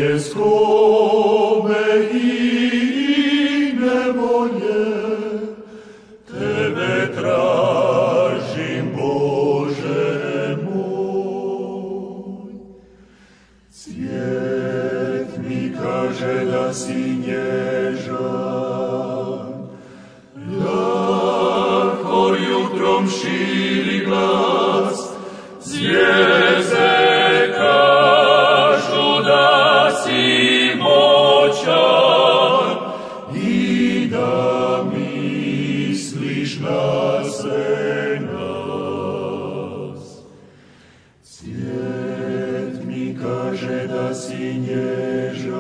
tjeskobe i nevolje, tebe tražim, Bože moj. Cvijet mi kaže da si nježan, lako jutrom širi glas, zvijezde kažu da si moćan i da misliš na sve nas. Cvijet mi kaže da si nježan,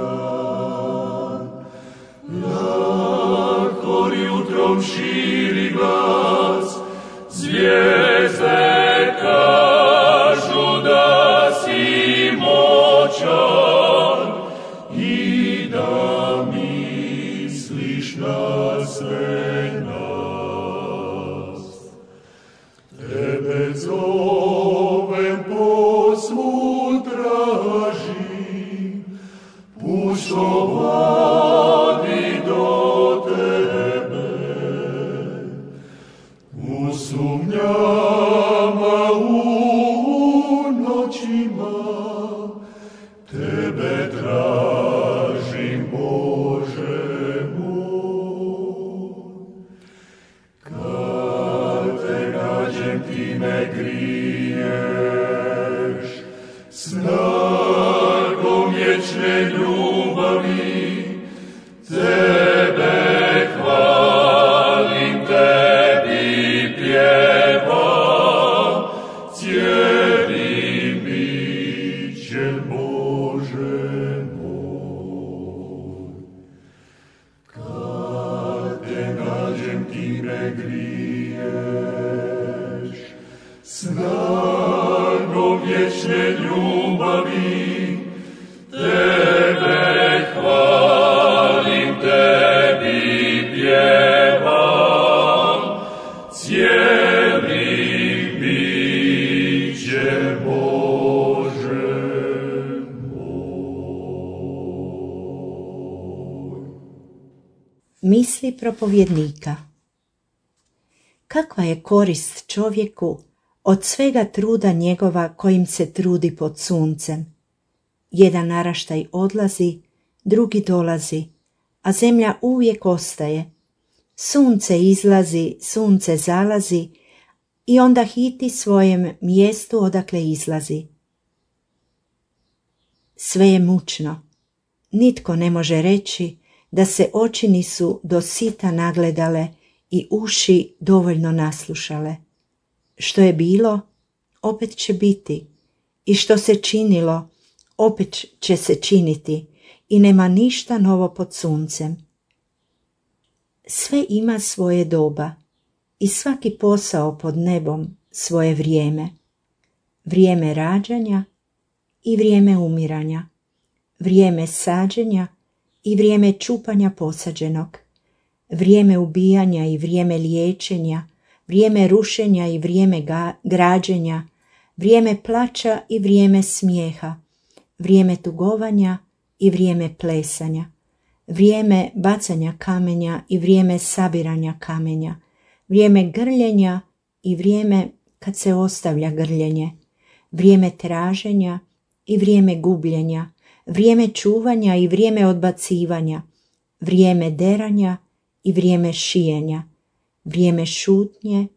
lako jutrom širi glas, zvijezde kažu da si moćan i da misliš na sve nas. Tebe zovem, posvud tražim, puštovani do tebe. U sumnjama, u noćima, tebe tražim, Bože moj. Kad te nađem, ti me griješ, snagom vječne ljubavi, tebe hvalim, tebi pjevam, cijelim bićem, Bože moj. Kad te nađem, ti me griješ, snagom vječne ljubavi, tebe hvalim, tebi pjevam, cijelim bićem, Bože moj. Misli propovjednika. Kakva je korist čovjeku od svega truda njegova kojim se trudi pod suncem? Jedan naraštaj odlazi, drugi dolazi, a zemlja uvijek ostaje. Sunce izlazi, sunce zalazi i onda hiti svojem mjestu odakle izlazi. Sve je mučno. Nitko ne može reći da se oči nisu do sita nagledale i uši dovoljno naslušale. Što je bilo, opet će biti, i što se činilo, opet će se činiti, i nema ništa novo pod suncem. Sve ima svoje doba i svaki posao pod nebom svoje vrijeme. Vrijeme rađanja i vrijeme umiranja, vrijeme sađenja i vrijeme čupanja posađenog, vrijeme ubijanja i vrijeme liječenja, vrijeme rušenja i vrijeme građenja, vrijeme plača i vrijeme smijeha, vrijeme tugovanja i vrijeme plesanja, vrijeme bacanja kamenja i vrijeme sabiranja kamenja, vrijeme grljenja i vrijeme kad se ostavlja grljenje, vrijeme traženja i vrijeme gubljenja, vrijeme čuvanja i vrijeme odbacivanja, vrijeme deranja i vrijeme šijenja, vrijeme šutnje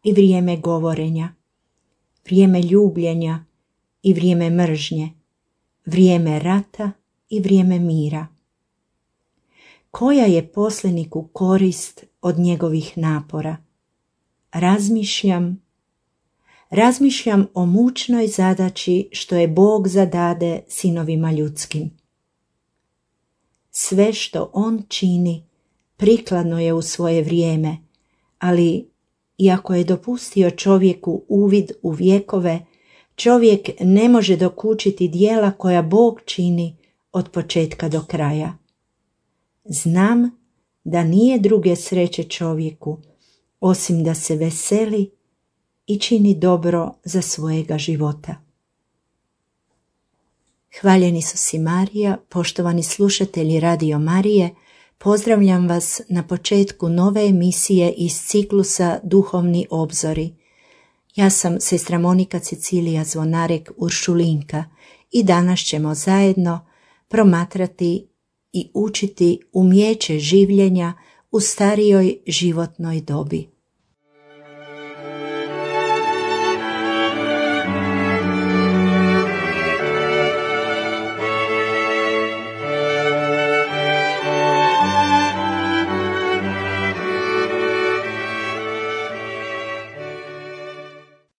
i vrijeme govorenja, vrijeme ljubljenja i vrijeme mržnje, vrijeme rata i vrijeme mira. Koja je poslaniku korist od njegovih napora? Razmišljam o mučnoj zadaći što je Bog zadade sinovima ljudskim. Sve što on čini prikladno je u svoje vrijeme, ali iako je dopustio čovjeku uvid u vjekove, čovjek ne može dokučiti djela koja Bog čini od početka do kraja. Znam da nije druge sreće čovjeku, osim da se veseli i čini dobro za svojega života. Hvaljen Isus i Marija, poštovani slušatelji Radio Marije, pozdravljam vas na početku nove emisije iz ciklusa Duhovni obzori. Ja sam sestra Monika Cecilija Zvonarek Uršulinka i danas ćemo zajedno promatrati i učiti umijeće življenja u starijoj životnoj dobi.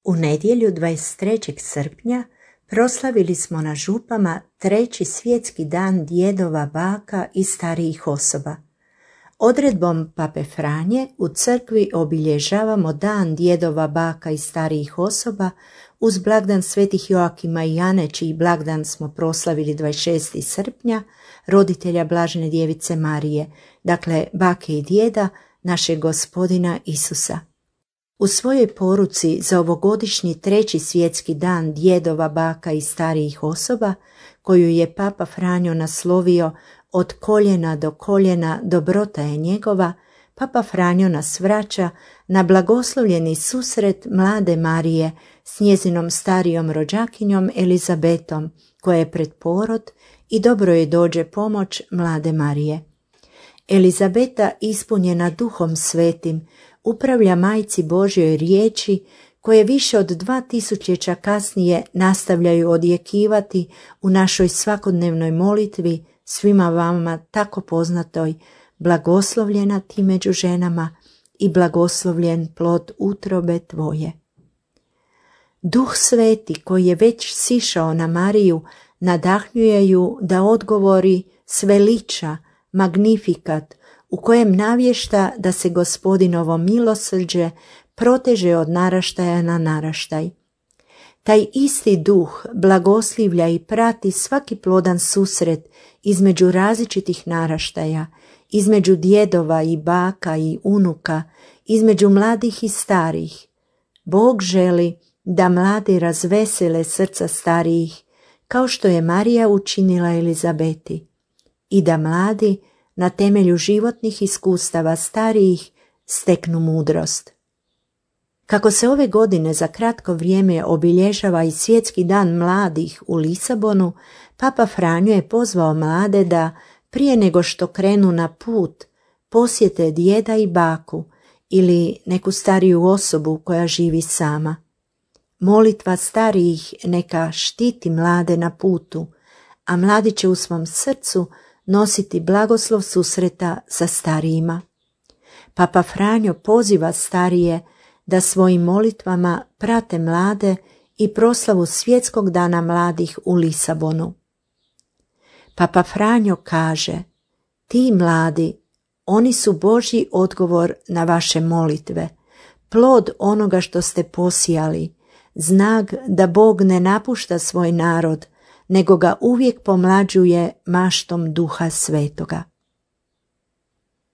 U nedjelju 23. srpnja proslavili smo na župama 3. svjetski dan djedova, baka i starijih osoba. Odredbom Pape Franje u crkvi obilježavamo dan djedova, baka i starijih osoba uz blagdan svetih Joakima i Ane, čiji blagdan smo proslavili 26. srpnja, roditelja Blažene djevice Marije, dakle bake i djeda našeg Gospodina Isusa. U svojoj poruci za ovogodišnji 3. svjetski dan djedova, baka i starijih osoba, koju je Papa Franjo naslovio Od koljena do koljena dobrota je njegova, Papa Franjo nas vraća na blagoslovljeni susret mlade Marije s njezinom starijom rođakinjom Elizabetom, koja je pred porod i dobro je dođe pomoć mlade Marije. Elizabeta, ispunjena Duhom Svetim, upravlja Majci Božjoj riječi koje više od 2000 kasnije nastavljaju odjekivati u našoj svakodnevnoj molitvi svima vama tako poznatoj: blagoslovljena ti među ženama i blagoslovljen plod utrobe tvoje. Duh Sveti koji je već sišao na Mariju nadahnjuje ju da odgovori s veliča, magnifikat, u kojem navješta da se Gospodinovo milosrđe proteže od naraštaja na naraštaj. Taj isti duh blagoslivlja i prati svaki plodan susret između različitih naraštaja, između djedova i baka i unuka, između mladih i starih. Bog želi da mladi razvesele srca starijih, kao što je Marija učinila Elizabeti, i da mladi na temelju životnih iskustava starijih steknu mudrost. Kako se ove godine za kratko vrijeme obilježava i svjetski dan mladih u Lisabonu, Papa Franjo je pozvao mlade da, prije nego što krenu na put, posjete djeda i baku ili neku stariju osobu koja živi sama. Molitva starijih neka štiti mlade na putu, a mladi će u svom srcu nositi blagoslov susreta sa starijima. Papa Franjo poziva starije da svojim molitvama prate mlade i proslavu svjetskog dana mladih u Lisabonu. Papa Franjo kaže: ti mladi, oni su Božji odgovor na vaše molitve, plod onoga što ste posijali, znak da Bog ne napušta svoj narod, nego ga uvijek pomlađuje maštom Duha Svetoga.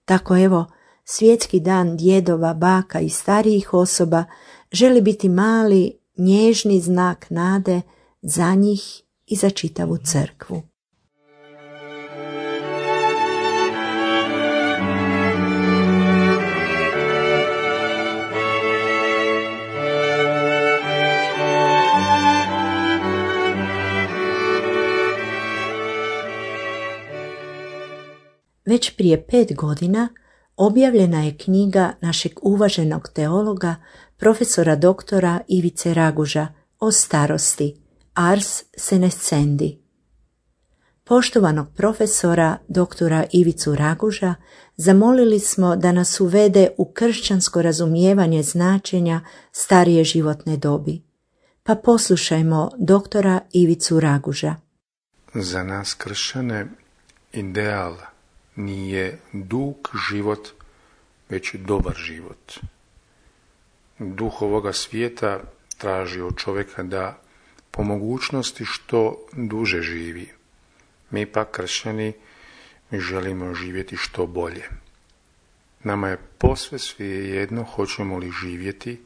Tako evo, svjetski dan djedova, baka i starijih osoba želi biti mali, nježni znak nade za njih i za čitavu crkvu. Već prije 5 godina objavljena je knjiga našeg uvaženog teologa, profesora doktora Ivice Raguža o starosti, Ars senescendi. Poštovanog profesora doktora Ivicu Raguža zamolili smo da nas uvede u kršćansko razumijevanje značenja starije životne dobi. Pa poslušajmo doktora Ivicu Raguža. Za nas kršćane ideal nije dug život, već dobar život. Duh ovoga svijeta traži od čovjeka da po mogućnosti što duže živi. Mi pak kršćani želimo živjeti što bolje. Nama je posve svejedno hoćemo li živjeti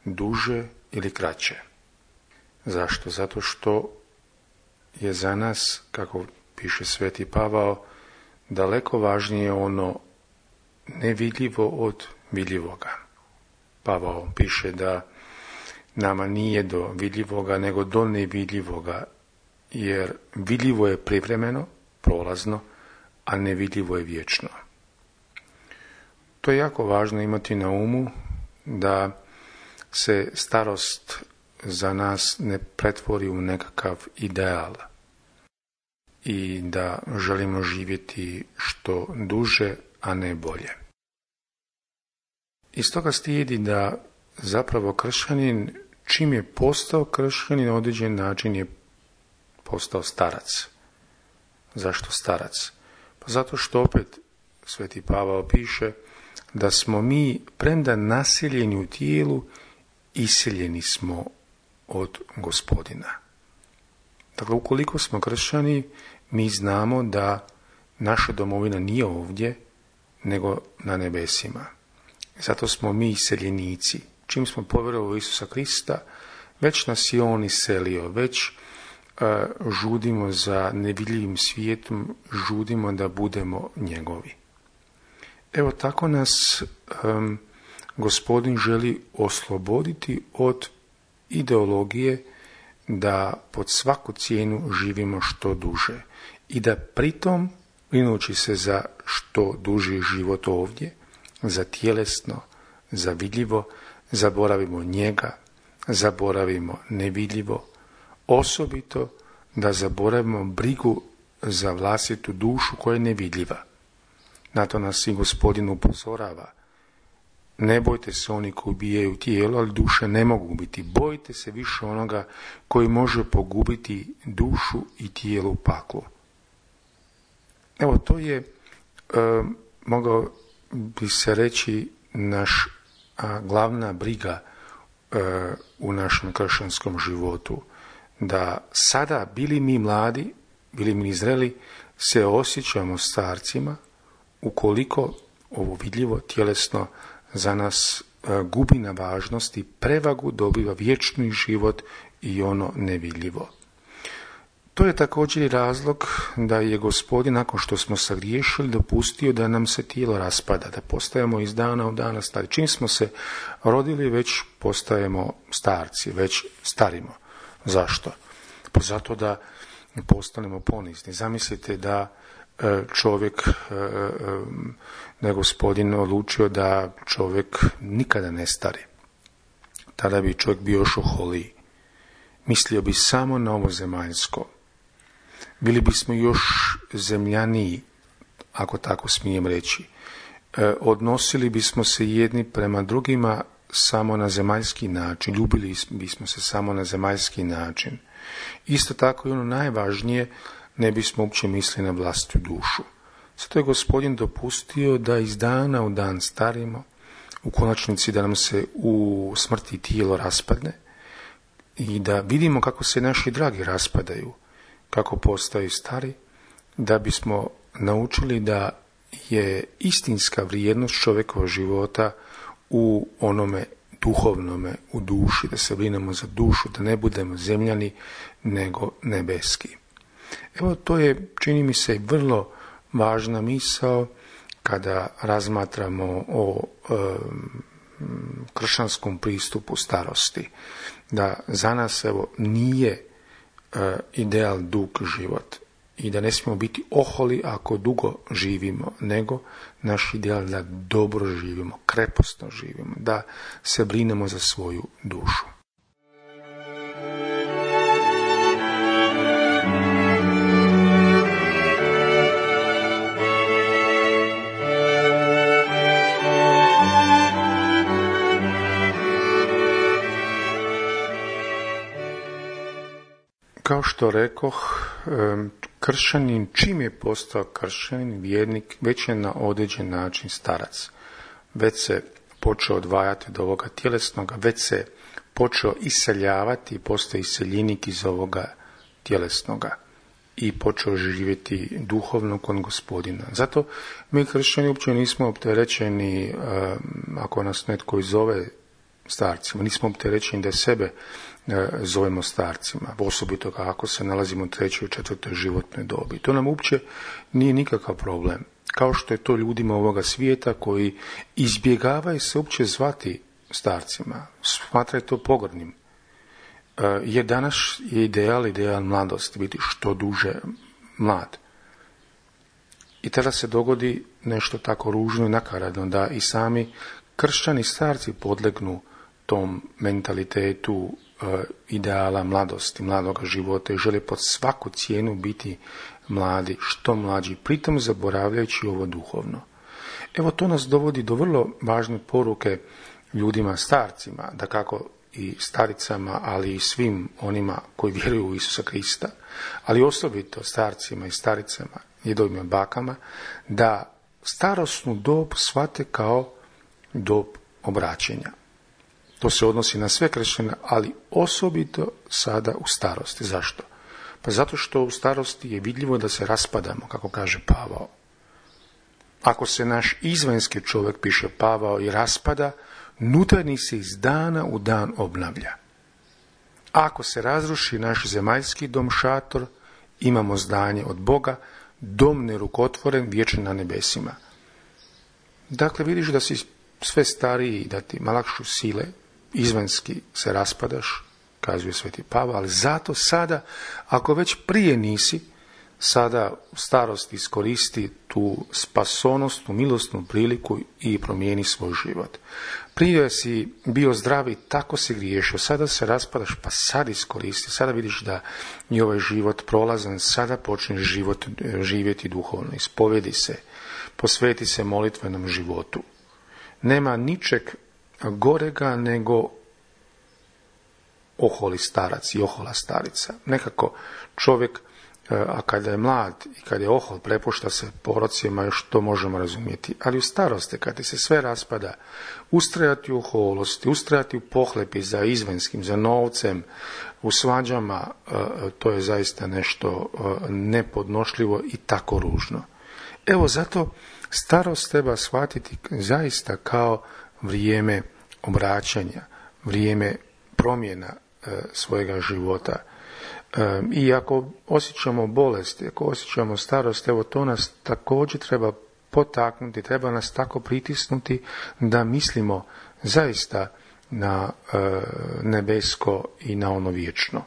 duže ili kraće. Zašto? Zato što je za nas, kako piše Sveti Pavao, daleko važnije ono nevidljivo od vidljivoga. Pavao piše da nama nije do vidljivoga, nego do nevidljivoga, jer vidljivo je privremeno, prolazno, a nevidljivo je vječno. To je jako važno imati na umu, da se starost za nas ne pretvori u nekakav ideal i da želimo živjeti što duže, a ne bolje. Iz toga slijedi da zapravo kršćanin, čim je postao kršćanin, na određen način je postao starac. Zašto starac? Pa zato što opet Sveti Pavao piše da smo mi, premda naseljeni u tijelu, iseljeni smo od Gospodina. Dakle, ukoliko smo kršćani, mi znamo da naša domovina nije ovdje, nego na nebesima. Zato smo mi iseljenici. Čim smo povjerovali u Isusa Krista, već nas je On iselio, već žudimo za nevidljivim svijetom, žudimo da budemo njegovi. Evo tako nas Gospodin želi osloboditi od ideologije da pod svaku cijenu živimo što duže i da pritom, brinući se za što duži život ovdje, za tjelesno, za vidljivo, zaboravimo njega, zaboravimo nevidljivo, osobito da zaboravimo brigu za vlastitu dušu koja je nevidljiva. Na to nas i Gospodin upozorava. Ne bojte se oni koji ubijaju tijelo, ali duše ne mogu ubiti. Bojte se više onoga koji može pogubiti dušu i tijelo u paklu. Evo, to je, mogao bi se reći, naš glavna briga u našem kršćanskom životu. Da sada, bili mi mladi, bili mi zreli, se osjećamo starcima, ukoliko ovo vidljivo tjelesno za nas gubi na važnosti, prevagu dobiva vječni život i ono nevidljivo. To je također i razlog da je Gospodin, nakon što smo sagriješili, dopustio da nam se tijelo raspada, da postajemo iz dana u dana stari. Čim smo se rodili, već postajemo starci, već starimo. Zašto? Pa zato da postanemo ponizni. Zamislite da čovjek, da je Gospodin odlučio da čovjek nikada ne stari. Tada bi čovjek bio još oholiji. Mislio bi samo na ovo zemaljsko. Bili bismo još zemljaniji, ako tako smijem reći. Odnosili bismo se jedni prema drugima samo na zemaljski način. Ljubili bismo se samo na zemaljski način. Isto tako i ono najvažnije, ne bismo uopće mislili na vlastitu dušu. Zato je Gospodin dopustio da iz dana u dan starimo, u konačnici da nam se u smrti tijelo raspadne i da vidimo kako se naši dragi raspadaju, kako postaju stari, da bismo naučili da je istinska vrijednost čovjekova života u onome duhovnome, u duši, da se brinemo za dušu, da ne budemo zemljani, nego nebeski. Evo, to je, čini mi se, vrlo važna misao kada razmatramo o kršćanskom pristupu starosti. Da za nas, evo, nije ideal dug život i da ne smijemo biti oholi ako dugo živimo, nego naš ideal da dobro živimo, krepostno živimo, da se brinemo za svoju dušu. Kao što rekoh, kršćanin, čim je postao kršćanin, vjernik, već je na određen način starac. Već se počeo odvajati od ovoga tjelesnoga, već se počeo iseljavati, postao iseljenik iz ovoga tjelesnoga i počeo živjeti duhovno kod Gospodina. Zato mi kršćani uopće nismo opterećeni, ako nas netko izove starcima. Nismo opterećeni da sebe zovemo starcima, osobito kako se nalazimo u 3. i 4. životnoj dobi. To nam uopće nije nikakav problem. Kao što je to ljudima ovoga svijeta koji izbjegavaju se uopće zvati starcima, smatraju to pogrdnim. Jer danas je ideal mladosti, biti što duže mlad. I tada se dogodi nešto tako ružno i nakaradno, da i sami kršćani starci podlegnu tom mentalitetu ideala mladosti, mladoga života i žele pod svaku cijenu biti mladi, što mlađi, pritom zaboravljajući ovo duhovno. Evo, to nas dovodi do vrlo važne poruke ljudima starcima, da kako i staricama, ali i svim onima koji vjeruju u Isusa Krista, ali osobito starcima i staricama, djedovima i bakama, da starosnu dob shvate kao dob obraćenja. To se odnosi na sve kršćane, ali osobito sada u starosti. Zašto? Pa zato što u starosti je vidljivo da se raspadamo, kako kaže Pavao. Ako se naš izvanjski čovjek, piše Pavao, i raspada, unutarnji se iz dana u dan obnavlja. Ako se razruši naš zemaljski dom šator, imamo zdanje od Boga, dom nerukotvoren, vječan na nebesima. Dakle, vidiš da si sve stariji i da ti malakšu sile, izvanjski se raspadaš, kazuje sveti Pavao, ali zato sada, ako već prije nisi, sada u starosti iskoristi tu spasonosnu, milosnu priliku i promijeni svoj život. Prije si bio zdravi, tako si griješio, sada se raspadaš, pa sad iskoristi, sada vidiš da je ovaj život prolazan, sada počneš život živjeti duhovno, ispovjedi se, posveti se molitvenom životu. Nema ničeg gorega nego oholi starac i ohola starica. Nekako čovjek, a kada je mlad i kada je ohol, prepušta se porocima, još to možemo razumjeti. Ali u starosti, kada ti se sve raspada, ustrajati u oholosti, ustrajati u pohlepi za izvanskim, za novcem, u svađama, to je zaista nešto nepodnošljivo i tako ružno. Evo, zato starost treba shvatiti zaista kao vrijeme obraćanja, vrijeme promjena svojega života. I ako osjećamo bolesti, ako osjećamo starost, evo, to nas također treba potaknuti, treba nas tako pritisnuti da mislimo zaista na nebesko i na ono vječno.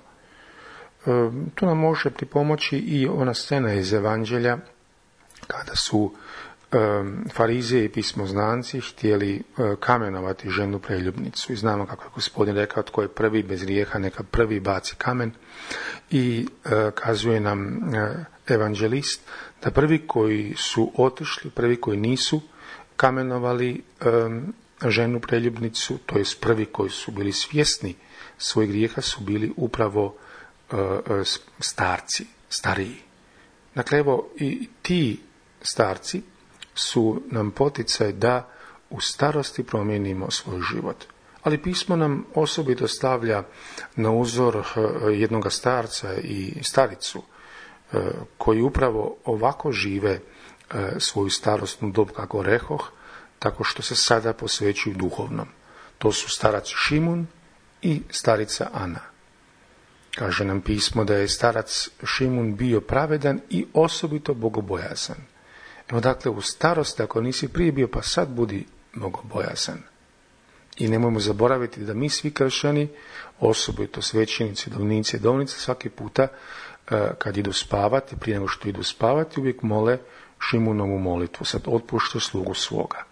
To nam može pripomoći i ona scena iz Evanđelja kada su Farizeji i pismoznanci htjeli kamenovati ženu preljubnicu. I znamo kako je Gospodin rekao, tko je prvi bez grijeha, neka prvi baci kamen. I kazuje nam evanđelist da prvi koji su otišli, prvi koji nisu kamenovali ženu preljubnicu, to jest prvi koji su bili svjesni svojih grijeha, su bili upravo starci, stariji. Dakle, evo, i ti starci su nam poticaj da u starosti promijenimo svoj život. Ali pismo nam osobito stavlja na uzor jednoga starca i staricu koji upravo ovako žive svoju starosnu dob, kako rekoh, tako što se sada posvećuju duhovnom. To su starac Šimun i starica Ana. Kaže nam pismo da je starac Šimun bio pravedan i osobito bogobojazan. Evo, dakle, u starosti, ako nisi prije bio, pa sad budi bogobojazan. I nemojmo zaboraviti da mi svi kršćani, osobito svećenici, dovnici, dovnice, svaki puta kad idu spavati, prije nego što idu spavati, uvijek mole Šimunovu molitvu, sad otpušta slugu svoga.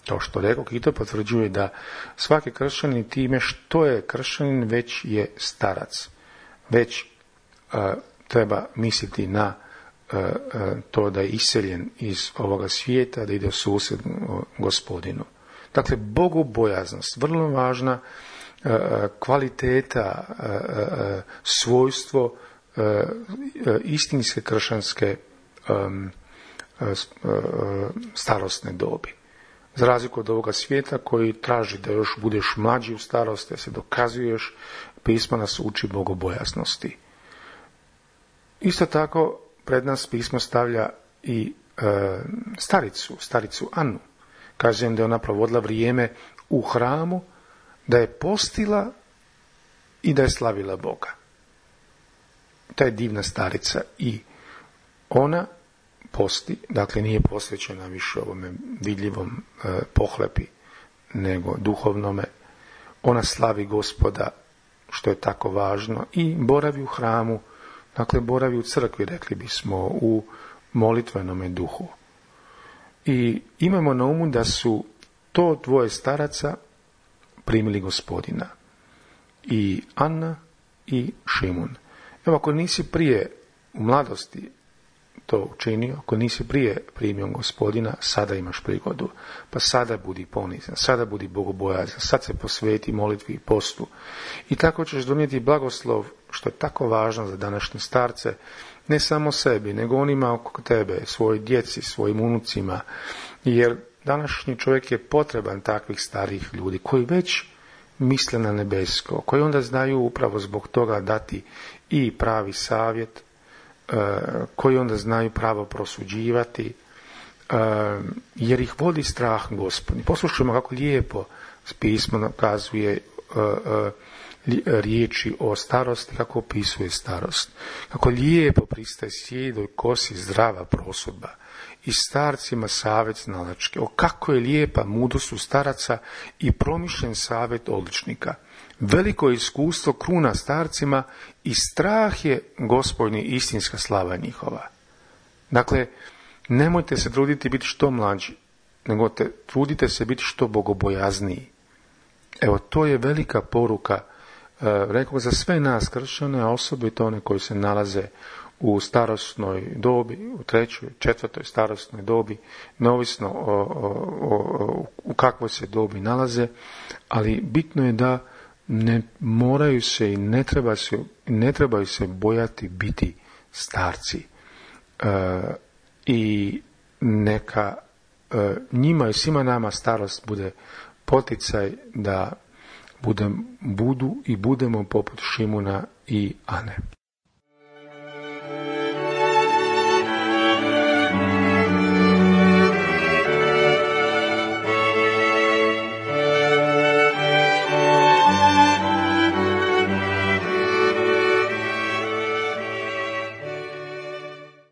Kao što rekao, i to potvrđuje da svaki kršćanin time što je kršćanin već je starac. Već treba misliti na to da je iseljen iz ovoga svijeta, da ide u susret Gospodinu. Dakle, bogobojaznost, vrlo važna kvaliteta, svojstvo istinske kršćanske starosne dobi. Za razliku od ovoga svijeta koji traži da još budeš mlađi u starosti, da se dokazuješ, pismo nas uči bogobojaznosti. Isto tako, pred nas pismo stavlja i staricu Anu. Kažem da je ona provodila vrijeme u hramu, da je postila i da je slavila Boga. Ta je divna starica i ona posti, dakle nije posvećena više ovome vidljivom pohlepi, nego duhovnome. Ona slavi Gospoda, što je tako važno, i boravi u hramu, dakle boravi u crkvi, rekli bismo, u molitvenome duhu. I imamo na umu da su to dvoje staraca primili Gospodina, i Anna i Šimun. Evo, ako nisi prije u mladosti to učinio, ako nisi prije primio Gospodina, sada imaš prigodu. Pa sada budi ponizan, sada budi bogobojazan, sad se posveti molitvi i postu. I tako ćeš donijeti blagoslov, što je tako važno za današnje starce, ne samo sebi, nego onima oko tebe, svojoj djeci, svojim unucima. Jer današnji čovjek je potreban takvih starih ljudi koji već misle na nebesko, koji onda znaju upravo zbog toga dati i pravi savjet, koji onda znaju pravo prosuđivati, jer ih vodi strah Gospodnji. Poslušajmo kako lijepo pismo nakazuje riječi o starosti, kako opisuje starost. Kako lijepo pristaje sjedoj kosi zdrava prosudba i starcima savjet znalački. O kako je lijepa mudrost u staraca i promišljen savjet odličnika. Veliko je iskustvo kruna starcima i strah je Gospodnji istinska slava njihova. Dakle, nemojte se truditi biti što mlađi, nego trudite se biti što bogobojazniji. Evo, to je velika poruka, rekao za sve nas kršćane, a osobito one koji se nalaze u starosnoj dobi, u 3., 4. starosnoj dobi, neovisno u kakvoj se dobi nalaze, ali bitno je da ne moraju se i ne trebaju se bojati biti starci. I neka njima i svima nama starost bude poticaj da budemo poput Šimuna i Ane.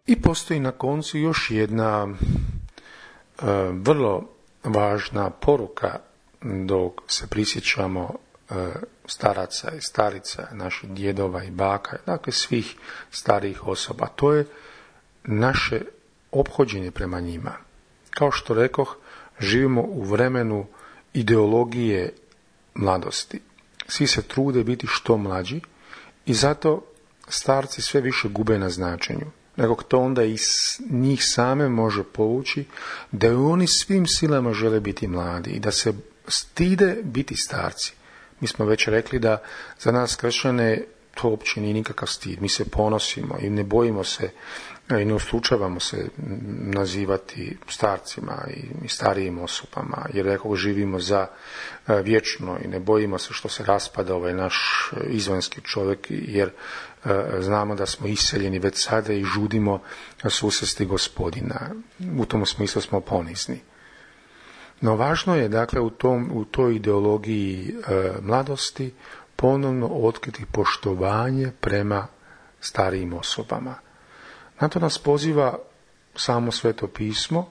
I postoji na koncu još jedna vrlo važna poruka dok se prisjećamo staraca i starica, naših djedova i baka, dakle svih starijih osoba. To je naše ophođenje prema njima. Kao što rekoh, živimo u vremenu ideologije mladosti. Svi se trude biti što mlađi i zato starci sve više gube na značenju. Nego to onda iz njih same može povući da oni svim silama žele biti mladi i da se stide biti starci. Mi smo već rekli da za nas kršćane to uopće nije nikakav stid. Mi se ponosimo i ne bojimo se i ne uslučavamo se nazivati starcima i starijim osobama, jer rekao živimo za vječno i ne bojimo se što se raspada ovaj naš izvanjski čovjek, jer znamo da smo iseljeni već sada i žudimo susresti Gospodina. U tom smislu smo ponizni. No važno je, dakle, u toj ideologiji mladosti ponovno otkriti poštovanje prema starijim osobama. Na to nas poziva samo Sveto pismo,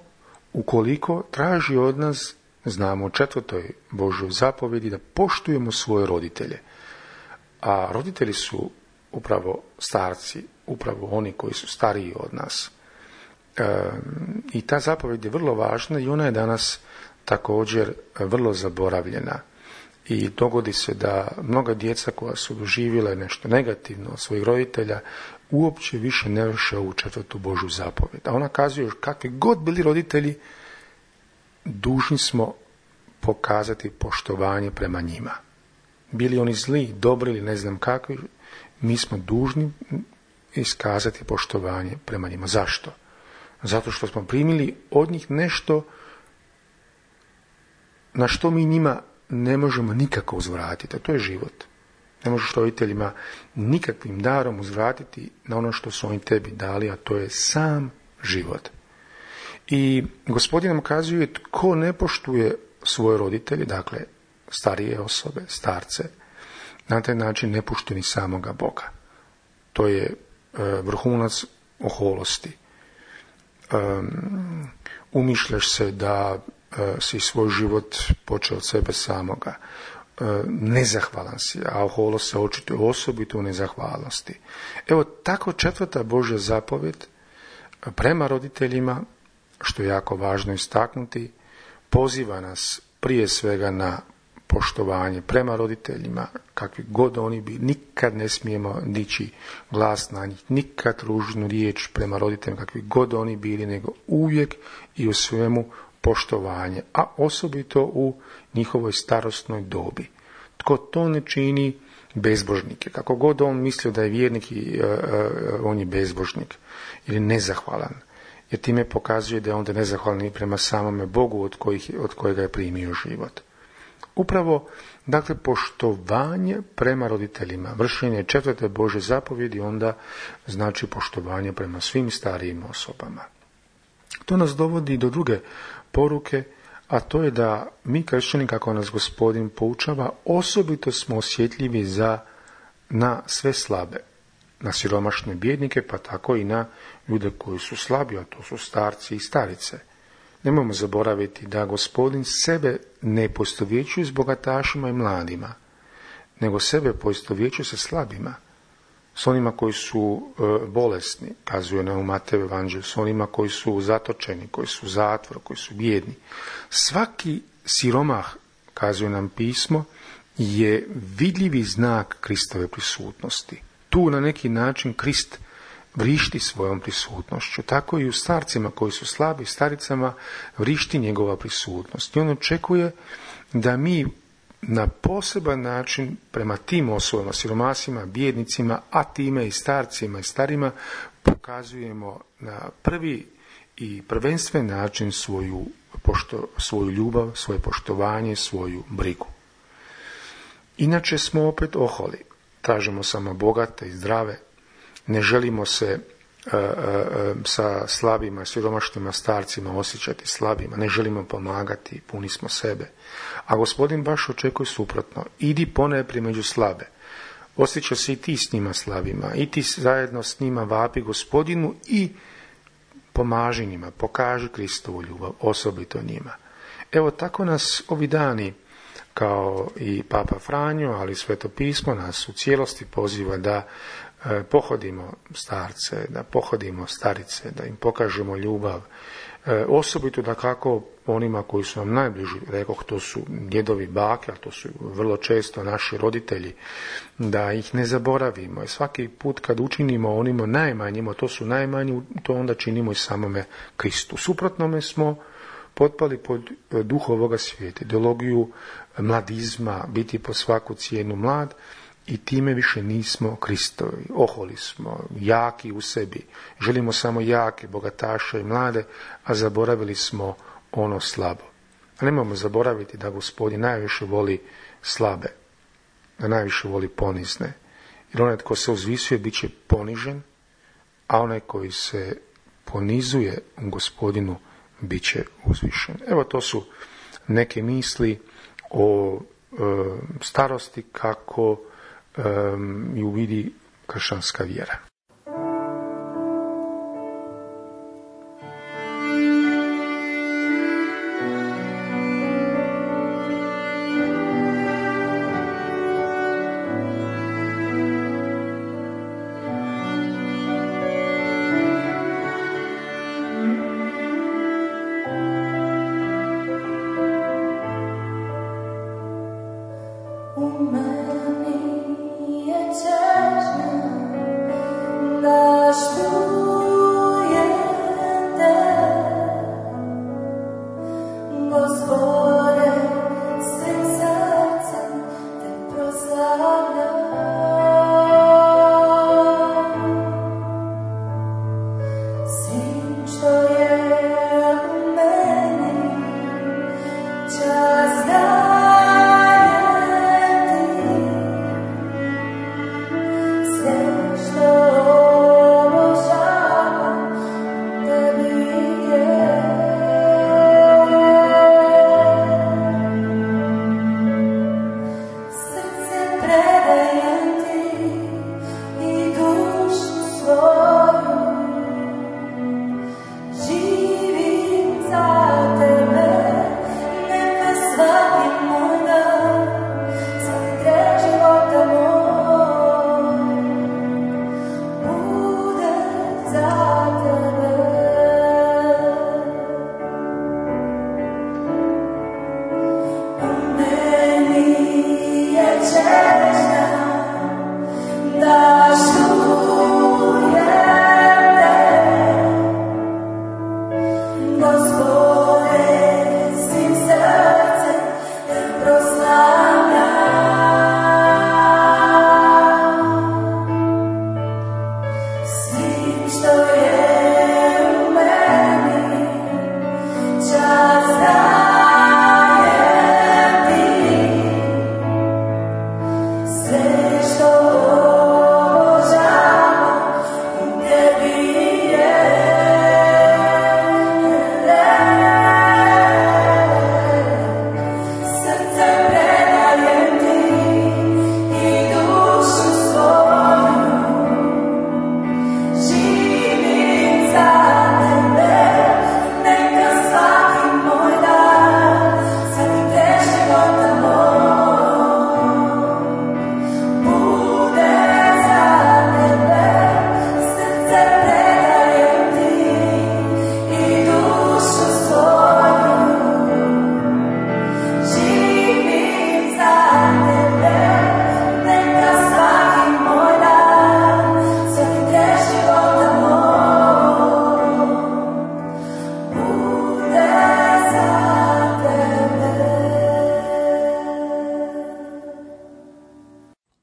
ukoliko traži od nas, znamo u 4. Božjoj zapovjedi, da poštujemo svoje roditelje. A roditelji su upravo starci, upravo oni koji su stariji od nas. I ta zapovjed je vrlo važna i ona je danas također vrlo zaboravljena. I dogodi se da mnoga djeca koja su doživjela nešto negativno od svojih roditelja uopće više ne vrše ovu 4. Božju zapovjed. A ona kazuje kakvi god bili roditelji, dužni smo pokazati poštovanje prema njima. Bili oni zli, dobri ili ne znam kakvi, mi smo dužni iskazati poštovanje prema njima. Zašto? Zato što smo primili od njih nešto na što mi njima ne možemo nikako uzvratiti, a to je život. Ne možeš roditeljima nikakvim darom uzvratiti na ono što su oni tebi dali, a to je sam život. I Gospodin nam kazuje tko ne poštuje svoje roditelje, dakle starije osobe, starce, na taj način ne pušti ni samoga Boga. To je vrhunac oholosti. Umišljaš se da si svoj život počeo od sebe samoga. Nezahvalan si, a oholost se očituje osobito u nezahvalnosti. Evo tako 4. Božja zapovjed prema roditeljima, što je jako važno istaknuti, poziva nas prije svega na poštovanje prema roditeljima, kakvi god oni bili. Nikad ne smijemo dići glas na njih, nikad ružnu riječ prema roditeljima, kakvi god oni bili, nego uvijek i u svemu poštovanje, a osobito u njihovoj starosnoj dobi. Tko to ne čini, bezbožnik je. Kako god on mislio da je vjernik, on je bezbožnik ili nezahvalan, jer time pokazuje da je onda nezahvalan i prema samome Bogu od kojega je primio život. Upravo, dakle, poštovanje prema roditeljima, vršenje 4. Božje zapovjedi onda znači poštovanje prema svim starijim osobama. To nas dovodi do druge poruke, a to je da mi kršćani, kako nas Gospodin poučava, osobito smo osjetljivi na sve slabe, na siromašne bijednike, pa tako i na ljude koji su slabi, a to su starci i starice. Nemojmo zaboraviti da Gospodin sebe ne poistovjećuje s bogatašima i mladima, nego sebe poistovjećuje sa slabima, s onima koji su bolesni, kazuje nam u Mateju evanđelju, s onima koji su zatočeni, koji su u zatvoru, koji su bijedni. Svaki siromah, kazuje nam pismo, je vidljivi znak Kristove prisutnosti. Tu na neki način Krist vrišti svojom prisutnošću. Tako i u starcima koji su slabi, staricama vrišti njegova prisutnost. I on očekuje da mi na poseban način prema tim osobama, siromasima, bijednicima, a time i starcima i starima, pokazujemo na prvi i prvenstven način svoju ljubav, svoje poštovanje, svoju brigu. Inače smo opet oholi. Tražimo samo bogate i zdrave. Ne želimo se sa slabima, siromašnima starcima osjećati slabima. Ne želimo pomagati, puni smo sebe. A Gospodin baš očekuje suprotno. Idi ponajprije među slabe. Osjećaj se i ti s njima slabima. I ti zajedno s njima vapi Gospodinu i pomaži njima. Pokaži Kristovu ljubav, osobito njima. Evo tako nas ovi dani, kao i Papa Franjo, ali Sveto pismo nas u cijelosti poziva da pohodimo starce, da pohodimo starice, da im pokažemo ljubav. Osobito da kako onima koji su nam najbliži, rekoh, to su djedovi, bake, a to su vrlo često naši roditelji, da ih ne zaboravimo. I svaki put kad učinimo onima najmanjima, to su najmanji, to onda činimo i samome Kristu. Suprotnome smo potpali pod duh ovoga svijeta, ideologiju mladizma, biti po svaku cijenu mlad, i time više nismo Kristovi. Oholi smo, jaki u sebi. Želimo samo jake, bogataše i mlade, a zaboravili smo ono slabo. A nemojmo zaboraviti da Gospodin najviše voli slabe, da najviše voli ponizne. Jer onaj tko se uzvisuje bit će ponižen, a onaj koji se ponizuje u Gospodinu bit će uzvišen. Evo, to su neke misli o starosti kako ju vidi kršćanska vjera.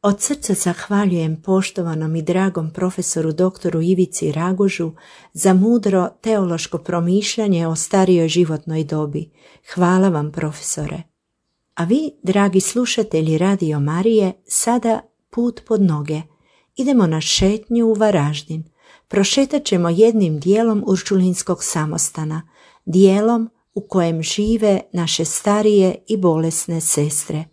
Od srca zahvaljujem poštovanom i dragom profesoru doktoru Ivici Ragužu za mudro teološko promišljanje o starijoj životnoj dobi. Hvala vam, profesore. A vi, dragi slušatelji Radio Marije, sada put pod noge. Idemo na šetnju u Varaždin. Prošetat ćemo jednim dijelom Uršulinskog samostana, dijelom u kojem žive naše starije i bolesne sestre.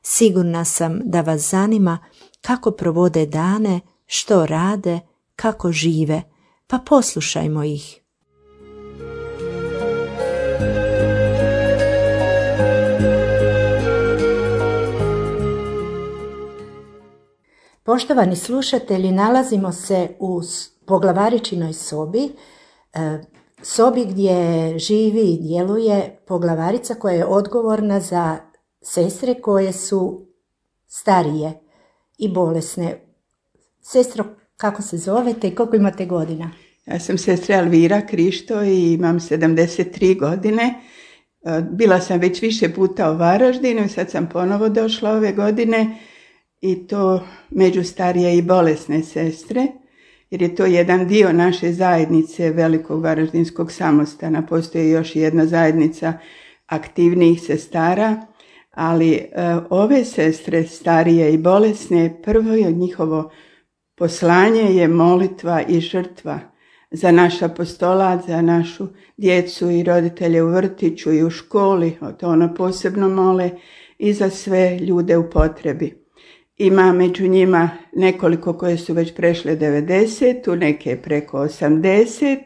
Sigurna sam da vas zanima kako provode dane, što rade, kako žive, pa poslušajmo ih. Poštovani slušatelji, nalazimo se u poglavaričinoj sobi, sobi gdje živi i djeluje poglavarica koja je odgovorna za sestre koje su starije i bolesne. Sestro, kako se zovete i koliko imate godina? Ja sam sestra Elvira Krišto i imam 73 godine. Bila sam već više puta u Varaždinu i sad sam ponovo došla ove godine i to među starije i bolesne sestre, jer je to jedan dio naše zajednice Velikog Varaždinskog samostana. Postoji još jedna zajednica aktivnijih sestara, ali ove sestre starije i bolesne, prvo je njihovo poslanje je molitva i žrtva za naš apostolat, za našu djecu i roditelje u vrtiću i u školi, to ono posebno mole, i za sve ljude u potrebi. Ima među njima nekoliko koje su već prešle 90, neke preko 80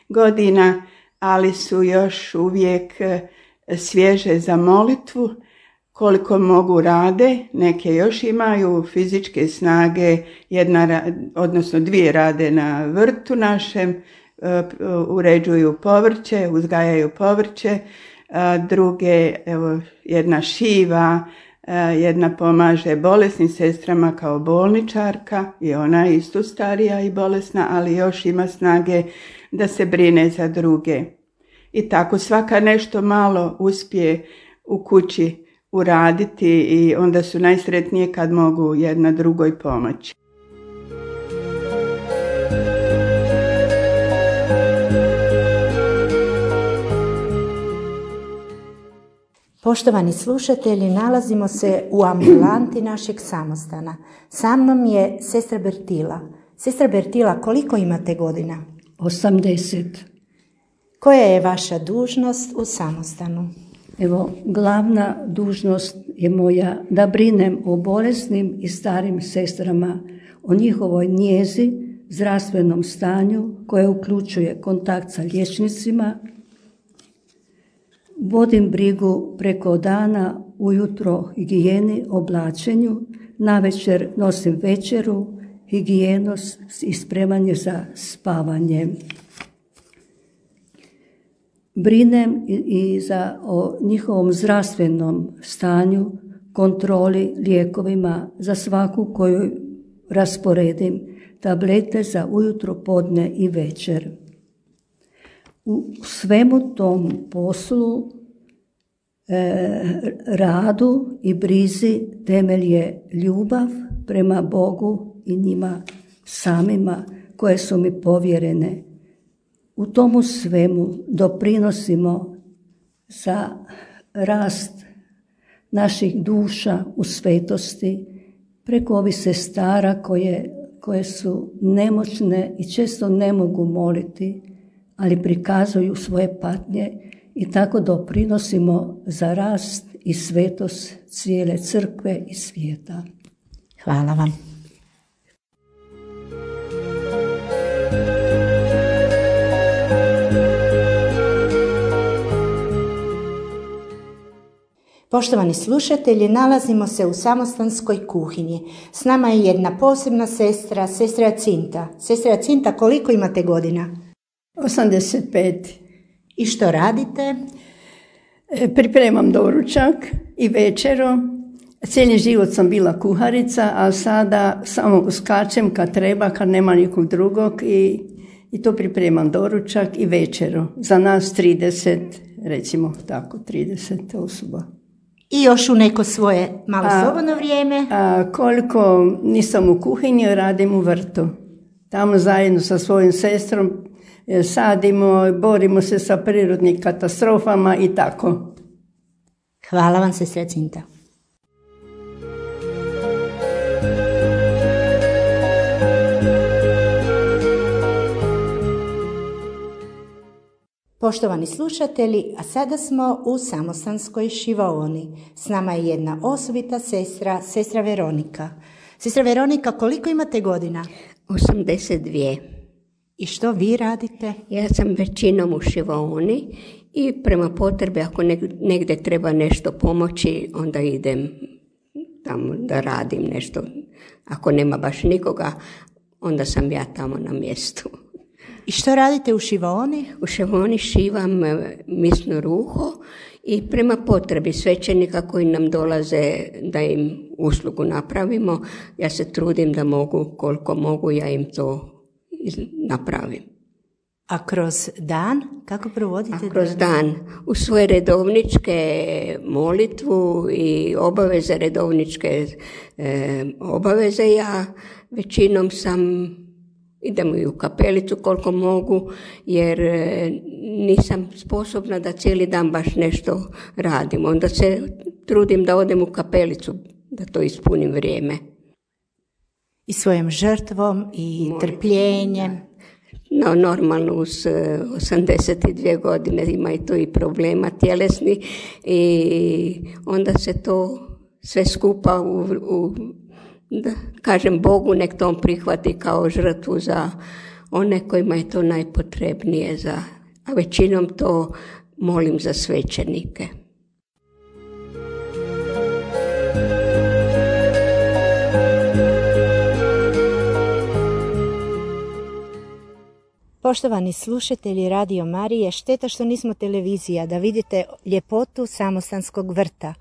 godina, ali su još uvijek svježe za molitvu, koliko mogu rade, neke još imaju fizičke snage, odnosno dvije rade na vrtu našem, uređuju povrće, uzgajaju povrće, druge, evo, jedna šiva, jedna pomaže bolesnim sestrama kao bolničarka i ona je isto starija i bolesna, ali još ima snage da se brine za druge. I tako svaka nešto malo uspije u kući uraditi i onda su najsretnije kad mogu jedna drugoj pomoći. Poštovani slušatelji, nalazimo se u ambulanti našeg samostana. Sa mnom je sestra Bertila. Sestra Bertila, koliko imate godina? 80. Koja je vaša dužnost u samostanu? Evo, glavna dužnost je moja da brinem o bolesnim i starim sestrama, o njihovoj njezi, zdravstvenom stanju koje uključuje kontakt sa liječnicima. Vodim brigu preko dana, ujutro higijeni, oblačenju, navečer nosim večeru, higijenu i spremanje za spavanje. Brinem i o njihovom zdravstvenom stanju, kontroli, lijekovima za svaku koju rasporedim, tablete za ujutro, podne i večer. u svemu tom poslu, radu i brizi temelj je ljubav prema Bogu i njima samima koje su mi povjerene. U tomu svemu doprinosimo za rast naših duša u svetosti preko ovih sestara koje su nemoćne i često ne mogu moliti, ali prikazuju svoje patnje i tako doprinosimo za rast i svetost cijele crkve i svijeta. Hvala vam. Poštovani slušatelji, nalazimo se u samostanskoj kuhinji. S nama je jedna posebna sestra, sestra Jacinta. Sestra Jacinta, koliko imate godina? 85. I što radite? Pripremam doručak i večeru. Cijeli život sam bila kuharica, a sada samo uskačem kad treba, kad nema nikog drugog i to pripremam doručak i večeru. Za nas 30, recimo tako, 30 osoba. I još u neko svoje malo slobodno vrijeme? Koliko nisam u kuhinji, radim u vrtu. Tamo zajedno sa svojim sestrom sadimo, borimo se sa prirodnim katastrofama i tako. Hvala vam, sestra Jacinta. Poštovani slušatelji, a sada smo u samostanskoj šivaoni. S nama je jedna osobita sestra, sestra Veronika. Sestra Veronika, koliko imate godina? 82. I što vi radite? Ja sam većinom u šivaoni i prema potrebi ako negdje treba nešto pomoći, onda idem tamo da radim nešto. Ako nema baš nikoga, onda sam ja tamo na mjestu. I što radite u šivaoni? U šivaoni šivam misno ruho i prema potrebi svećenika koji nam dolaze da im uslugu napravimo, ja se trudim da mogu, koliko mogu, ja im to napravim. A kroz dan? Kako provodite? Kroz dan u svoje redovničke molitvu i obaveze, redovničke obaveze, ja većinom idem i u kapelicu koliko mogu, jer nisam sposobna da cijeli dan baš nešto radim. Onda se trudim da odem u kapelicu, da to ispunim vrijeme. I svojom žrtvom i trpljenjem. No, normalno uz 82 godine ima i to i problema tjelesni i onda se to sve skupa da kažem Bogu, nek to on prihvati kao žrtvu za one kojima je to najpotrebnije, a većinom to molim za svećenike. Poštovani slušatelji Radio Marije, šteta što nismo televizija, da vidite ljepotu samostanskog vrta.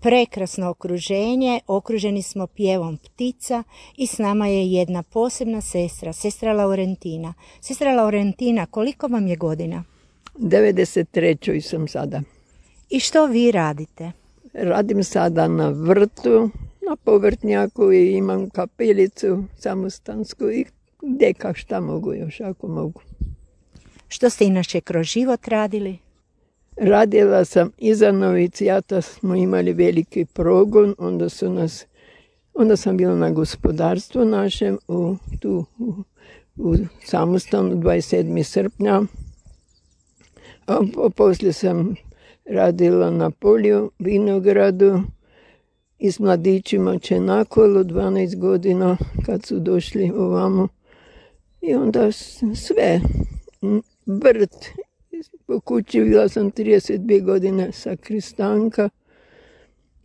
Prekrasno okruženje, okruženi smo pjevom ptica i s nama je jedna posebna sestra, sestra Laurentina. Sestra Laurentina, koliko vam je godina? 93. sam sada. I što vi radite? Radim sada na vrtu, na povrtnjaku i imam kapelicu samostansku i gdje šta mogu još, ako mogu. Što ste inače kroz život radili? Radila sam iza novicijata, smo imali veliki progon, onda sam bila na gospodarstvu našem u samostanu 27. srpnja. A poslije sam radila na polju, vinogradu i s mladićima Čenakolu 12 godina kad su došli ovamo. I onda sve, vrt, po kući bila sam 32 godine sakristanka,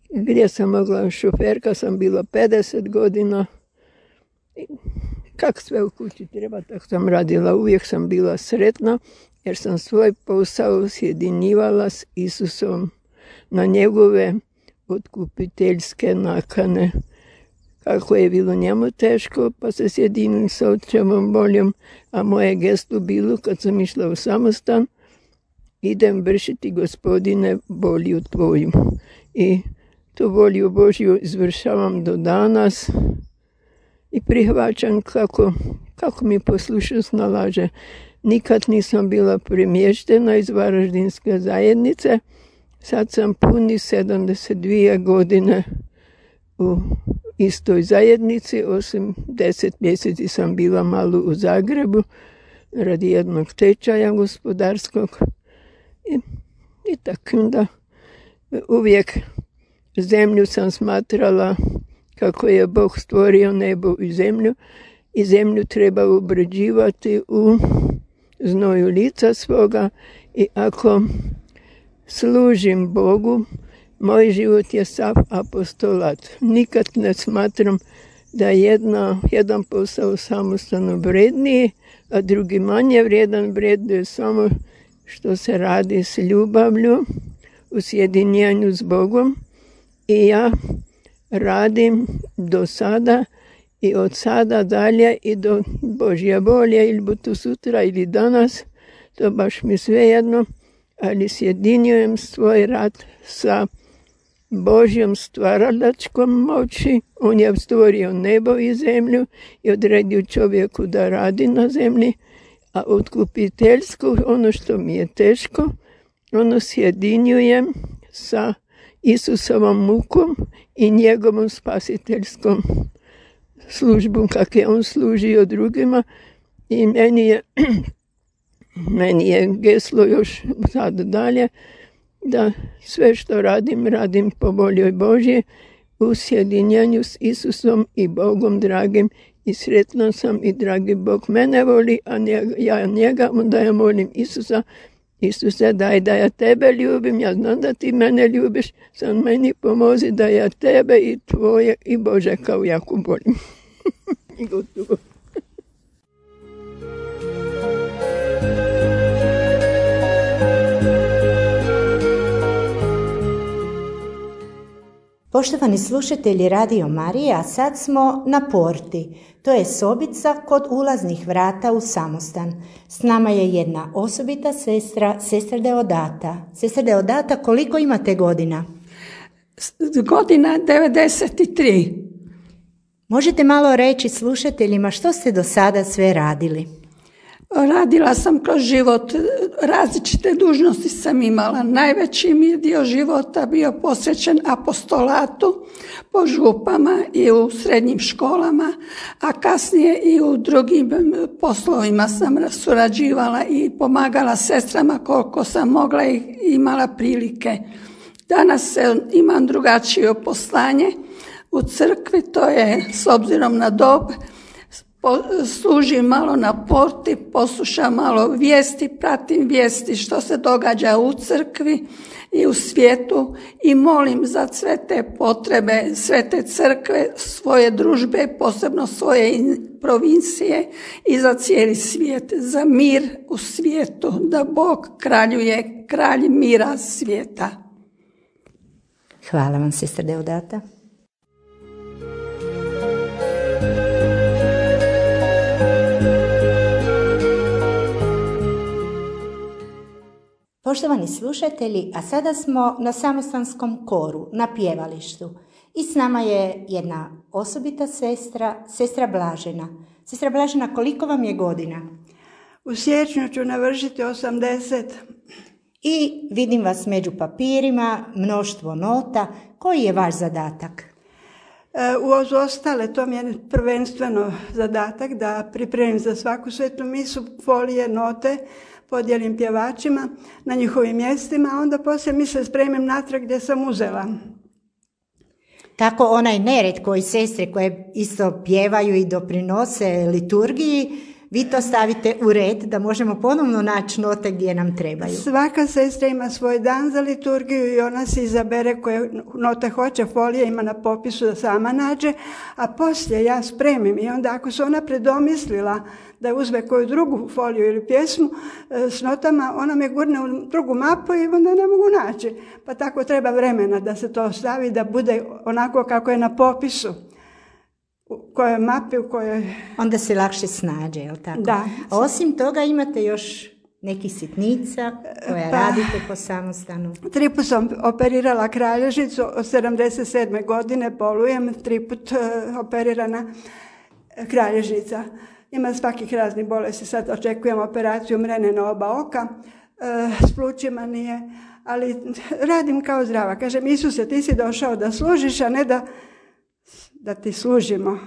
gdje sam mogla, šoferka sam bila 50 godina. Kak sve u kući treba, tako sam radila, uvijek sam bila sretna, jer sam svoj posao sjedinjivala s Isusom na njegove otkupiteljske nakane. Kako je bilo njemu teško, pa se sjedinili sa očevom voljom, a moje gesto bilo kad sam išla u samostan, idem vršiti, Gospodine, volju Tvoju. I tu volju Božju izvršavam do danas i prihvaćam kako mi poslušnost nalaže. Nikad nisam bila premještena iz Varaždinske zajednice. Sad sam puni 72 godine u istoj zajednici, osim 10 mjeseci sam bila malo u Zagrebu radi jednog tečaja gospodarskog. I tako da uvijek zemlju sam smatrala kako je Bog stvorio nebo i zemlju treba obrađivati u znoju lica svoga i ako služim Bogu, moj život je sav apostolat. Nikad ne smatram da je jedan posao samostalno vredniji, a drugi manje vrijedan. Vreduje samo što se radi s ljubavlju u sjedinjenju s Bogom i ja radim do sada i od sada dalje i do Božje volje, ili bu to sutra ili danas, to baš mi svejedno, ali sjedinjujem svoj rad sa Božjom stvaralačkom moći. On je stvorio nebo i zemlju i odredio čovjeku da radi na zemlji, a otkupiteljsko, ono što mi je teško, ono sjedinjujem sa Isusovom mukom i njegovom spasiteljskom službom, kako je on služio drugima. I meni je geslo još sad dalje, da sve što radim po volji Božje u sjedinjenju s Isusom i Bogom dragim, i sretna sam i dragi Bog mene voli, a ja njega, onda ja molim Isusa: Isuse, daj da ja tebe ljubim, ja znam da ti mene ljubiš, sam meni pomozi da ja tebe i tvoje i Bože kao jako volim. I gotovo. Poštovani slušatelji Radio Marije, a sad smo na porti. To je sobica kod ulaznih vrata u samostan. S nama je jedna osobita sestra, sestra Deodata. Sestra Deodata, koliko imate godina? Godina 93. Možete malo reći slušateljima što ste do sada sve radili? Radila sam kroz život, različite dužnosti sam imala. Najveći mi je dio života bio posvećen apostolatu po župama i u srednjim školama, a kasnije i u drugim poslovima sam surađivala i pomagala sestrama koliko sam mogla i imala prilike. Danas imam drugačije poslanje u crkvi, to je s obzirom na dob, služim malo na porti, poslušam malo vijesti, pratim vijesti što se događa u crkvi i u svijetu i molim za sve te potrebe, sve te crkve, svoje družbe, posebno svoje provincije i za cijeli svijet, za mir u svijetu, da Bog kraljuje, kralj mira svijeta. Hvala vam, sestra Deodata. Poštovani slušatelji, a sada smo na samostanskom koru, na pjevalištu. I s nama je jedna osobita sestra, sestra Blažena. Sestra Blažena, koliko vam je godina? U siječnju ću navršiti 80. I vidim vas među papirima, mnoštvo nota. Koji je vaš zadatak? Uz ostale, to mi je prvenstveno zadatak da pripremim za svaku svetu misu folije, note, podijelim pjevačima na njihovim mjestima, a onda poslije mise spremim natrag gdje sam uzela. Tako onaj nered koji sestre koje isto pjevaju i doprinose liturgiji, vi to stavite u red da možemo ponovno naći note gdje nam trebaju. Svaka sestra ima svoj dan za liturgiju i ona se izabere koje note hoće, folije ima na popisu da sama nađe, a poslije ja spremim i onda ako se ona predomislila da uzme koju drugu foliju ili pjesmu s notama, ona me gurne u drugu mapu i onda ne mogu naći. Pa tako treba vremena da se to stavi, da bude onako kako je na popisu. U kojoj mapi, u kojoj... Onda se lakše snađe, je li tako? Da. A osim toga imate još Neki sitnica koja radite po samostanu? 3 put sam operirala kralježnicu, od 77. godine bolujem, 3 put operirana kralježnica. Ima svakih raznih bolesti, sad očekujem operaciju mrene na oba oka, s plućima nije, ali radim kao zdrava. Kažem, Isuse, ti si došao da služiš, a ne da ti služimo.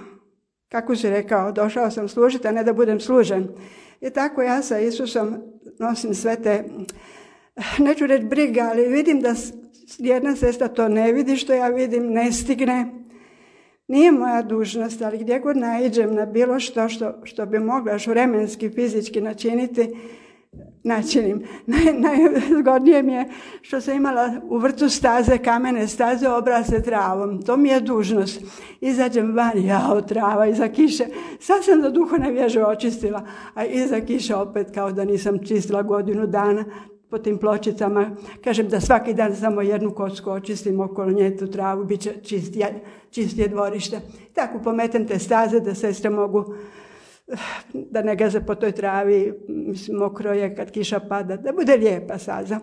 Kako si rekao, došao sam služiti, a ne da budem služen. I tako ja sa Isusom nosim sve te, neću reći briga, ali vidim da jedna sestra to ne vidi što ja vidim, ne stigne. Nije moja dužnost, ali gdje god naiđem na bilo što bi mogla još vremenski, fizički načinim. Najzgodnije mi je što sam imala u vrtu staze, kamene staze, obrasle travom. To mi je dužnost. Izađem van, jao, trava, iza kiše. Sad sam do duhovne vježe očistila, a iza kiše opet kao da nisam čistila godinu dana po tim pločicama. Kažem da svaki dan samo jednu kocku očistim okolo nje, tu travu, bit će čistije dvorište. Tako pometem te staze da sestre mogu da ne gaze po toj travi, mislim, mokro je kad kiša pada, da bude lijepa staza.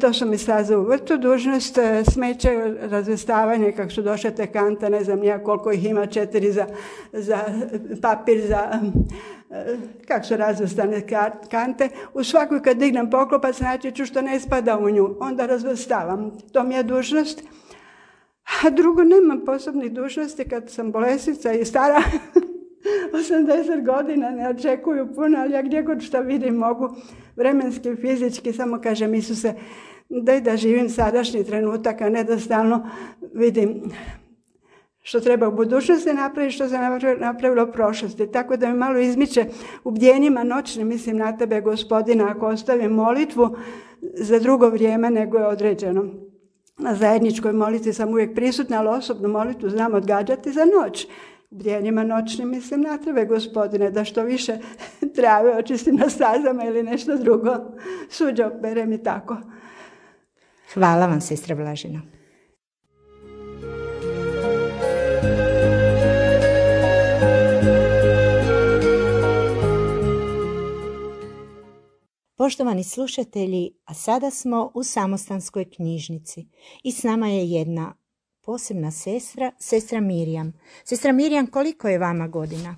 To su mi staze u vrtu, dužnost, smeće, razvestavanje, kako su došle te kante, ne znam nija koliko ih ima, 4 za papir, kako su razvrstane kante. U svakoj kad dignem poklopac naći ću što ne spada u nju, onda razvrstavam. To mi je dužnost. A drugo, nemam posebnih dužnosti kad sam bolesnica i stara. 80 godina, ne očekuju puno, ali ja gdje god šta vidim mogu vremenski, fizički, samo kažem Isuse, daj da živim sadašnji trenutak, a ne da stalno vidim što treba u budućnosti napraviti, što se napravilo u prošlosti. Tako da mi malo izmiče u bdjenjima noćnim, mislim na tebe, Gospodina, ako ostavim molitvu za drugo vrijeme nego je određeno. Na zajedničkoj molitvi sam uvijek prisutna, ali osobnu molitvu znam odgađati za noć. U bdjenjima noćnim mislim na tebe, Gospodine, da što više trave očistim na stazama ili nešto drugo. Suđe operem i tako. Hvala vam, sestra Blažena. Poštovani slušatelji, a sada smo u samostanskoj knjižnici i s nama je jedna posebna sestra, sestra Mirjam. Sestra Mirjam, koliko je vama godina?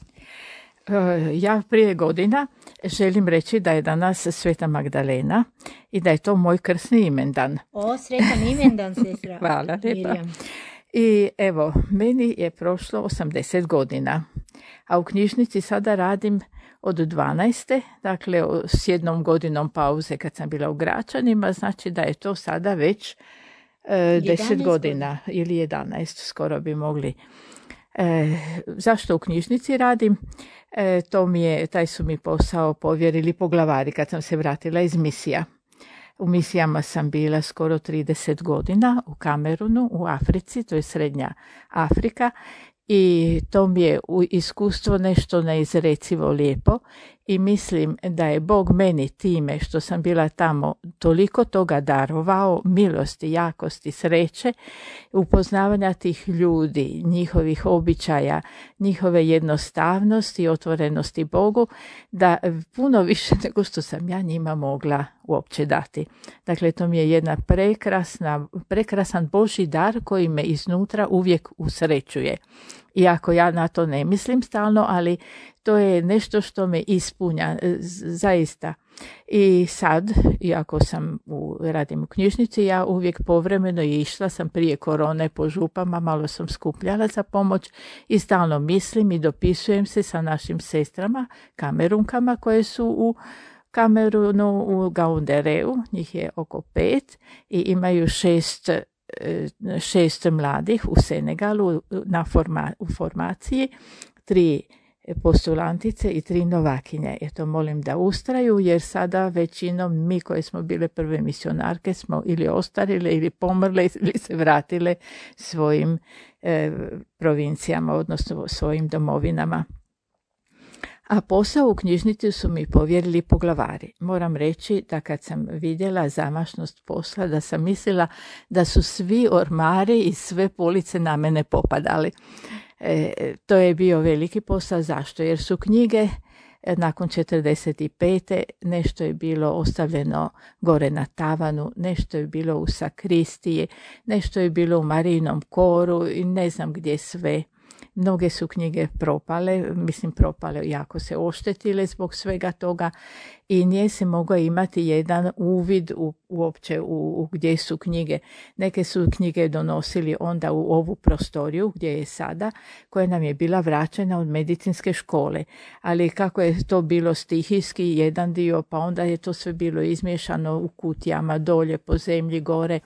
Ja prije godina želim reći da je danas Sveta Magdalena i da je to moj krsni imendan. O, sretan imendan, sestra. Hvala lijepa. Mirjam. I evo, meni je prošlo 80 godina, a u knjižnici sada radim od 12. Dakle, s 1 godinom pauze kad sam bila u Gračanima, znači da je to sada već 10 godina ili 11, skoro bi mogli. Zašto u knjižnici radim? Taj su mi posao povjerili poglavari kad sam se vratila iz misija. U misijama sam bila skoro 30 godina u Kamerunu, u Africi, to je Srednja Afrika, i to mi je iskustvo nešto neizrecivo lijepo i mislim da je Bog meni time što sam bila tamo toliko toga darovao, milosti, jakosti, sreće, upoznavanja tih ljudi, njihovih običaja, njihove jednostavnosti i otvorenosti Bogu, da puno više nego što sam ja njima mogla uopće dati. Dakle, to mi je jedna prekrasan Božji dar koji me iznutra uvijek usrećuje. Iako ja na to ne mislim stalno, ali to je nešto što me ispunja, zaista. I sad, iako radim u knjižnici, ja uvijek povremeno išla sam prije korone po župama, malo sam skupljala za pomoć i stalno mislim i dopisujem se sa našim sestrama, kamerunkama koje su u Kamerunu, u Gaundereu, njih je oko 5 i imaju 6 mladih u Senegalu u formaciji, 3 postulantice i 3 novakinje. Eto, molim da ustraju, jer sada većinom mi koje smo bile prve misionarke smo ili ostarile ili pomrle ili se vratile svojim provincijama, odnosno svojim domovinama. A posao u knjižnici su mi povjerili poglavari. Moram reći da kad sam vidjela zamašnost posla, da sam mislila da su svi ormari i sve police na mene popadali. To je bio veliki posao. Zašto? Jer su knjige nakon 45. nešto je bilo ostavljeno gore na tavanu, nešto je bilo u sakristiji, nešto je bilo u Marijinom koru i ne znam gdje sve. Mnoge su knjige propale, jako se oštetile zbog svega toga i nije se mogao imati jedan uvid uopće u gdje su knjige. Neke su knjige donosili onda u ovu prostoriju gdje je sada, koja nam je bila vraćena od medicinske škole. Ali kako je to bilo stihijski jedan dio, pa onda je to sve bilo izmiješano u kutijama, dolje, po zemlji, gore.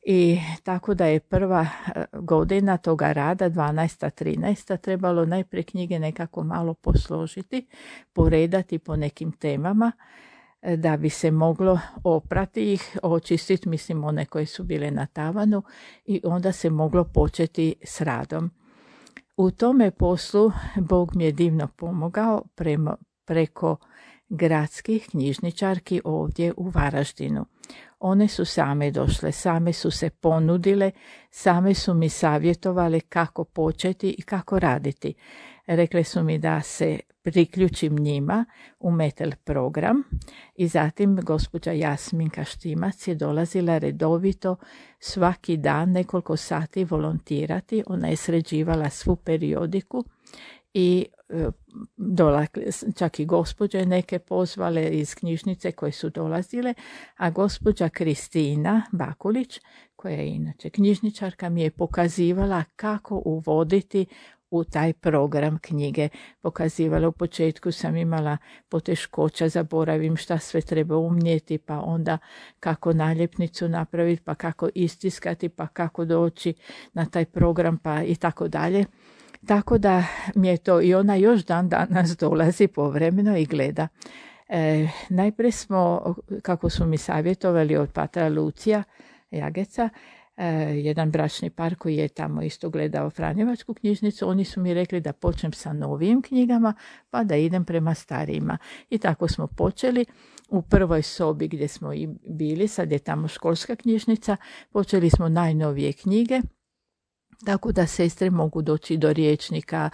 I tako da je prva godina toga rada, 12. 13. trebalo najprije knjige nekako malo posložiti, poredati po nekim temama, da bi se moglo oprati ih, očistiti, one koje su bile na tavanu i onda se moglo početi s radom. U tome poslu Bog mi je divno pomogao preko gradskih knjižničarki ovdje u Varaždinu. One su same došle, same su se ponudile, same su mi savjetovale kako početi i kako raditi. Rekle su mi da se priključim njima u Metel program i zatim gospođa Jasminka Štimac je dolazila redovito svaki dan nekoliko sati volontirati. Ona je sređivala svu periodiku i čak i gospođe neke pozvale iz knjižnice koje su dolazile, a gospođa Kristina Bakulić, koja je inače knjižničarka, mi je pokazivala kako uvoditi u taj program knjige. Pokazivala, u početku sam imala poteškoća, zaboravim šta sve treba umnijeti, pa onda kako naljepnicu napraviti, pa kako istiskati, pa kako doći na taj program, pa i tako dalje. Tako da mi je to, i ona još dan danas dolazi povremeno i gleda. Najprije smo, kako su mi savjetovali od patra Lucija Jageca, jedan bračni par koji je tamo isto gledao Franjevačku knjižnicu, oni su mi rekli da počnem sa novijim knjigama pa da idem prema starijima. I tako smo počeli. U prvoj sobi gdje smo i bili, sad je tamo školska knjižnica, počeli smo najnovije knjige, tako da sestre mogu doći do rječnika,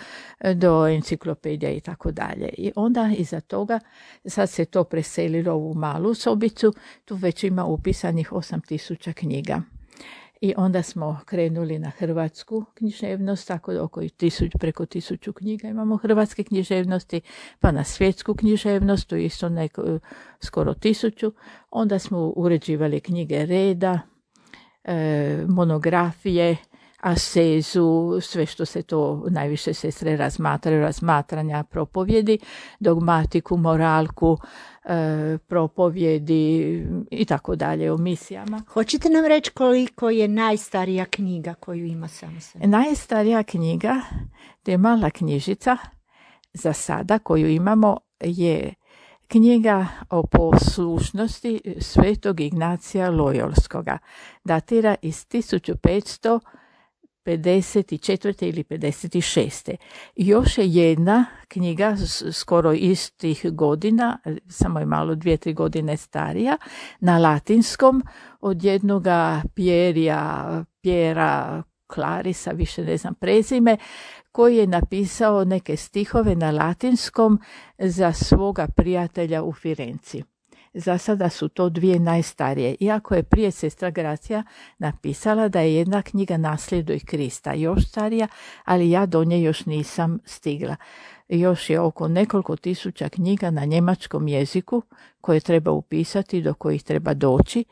do enciklopedija i tako dalje. I onda iza toga, sad se to preselilo u malu sobicu, tu već ima upisanih 8000 knjiga. I onda smo krenuli na hrvatsku književnost, tako da preko 1000 knjiga imamo hrvatske književnosti, pa na svjetsku književnost, to isto skoro 1000. Onda smo uređivali knjige reda, monografije, asezu, sve što se to najviše sestre razmatranja, propovjedi, dogmatiku, moralku, propovjedi i tako dalje, o misijama. Hoćete nam reći koliko je najstarija knjiga koju ima samo sve? Najstarija knjiga, to je mala knjižica za sada koju imamo, je knjiga o poslušnosti svetog Ignacija Lojolskoga. Datira iz 1554. ili 56. Još je jedna knjiga skoro istih godina, samo je malo 2-3 godine starija, na latinskom od jednoga Pjera Clarisa, više ne znam prezime, koji je napisao neke stihove na latinskom za svoga prijatelja u Firenci. Za sada su to 2 najstarije, iako je prije sestra Gracija napisala da je jedna knjiga Nasljeduj Krista još starija, ali ja do nje još nisam stigla. Još je oko nekoliko tisuća knjiga na njemačkom jeziku koje treba upisati, do kojih treba doći.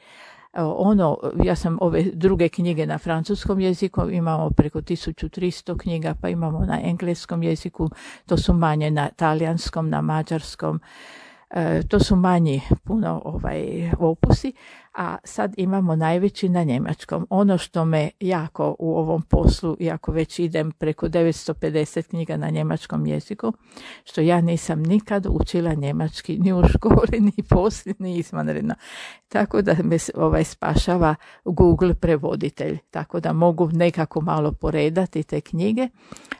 Ja sam ove druge knjige na francuskom jeziku, imamo preko 1300 knjiga, pa imamo na engleskom jeziku, to su manje na talijanskom, na mađarskom, to su manji puno opusi, a sad imamo najveći na njemačkom. Ono što me jako u ovom poslu, iako već idem preko 950 knjiga na njemačkom jeziku, što ja nisam nikad učila njemački ni u školi, ni poslije, ni izvanredno. Tako da me spašava Google prevoditelj, tako da mogu nekako malo poredati te knjige,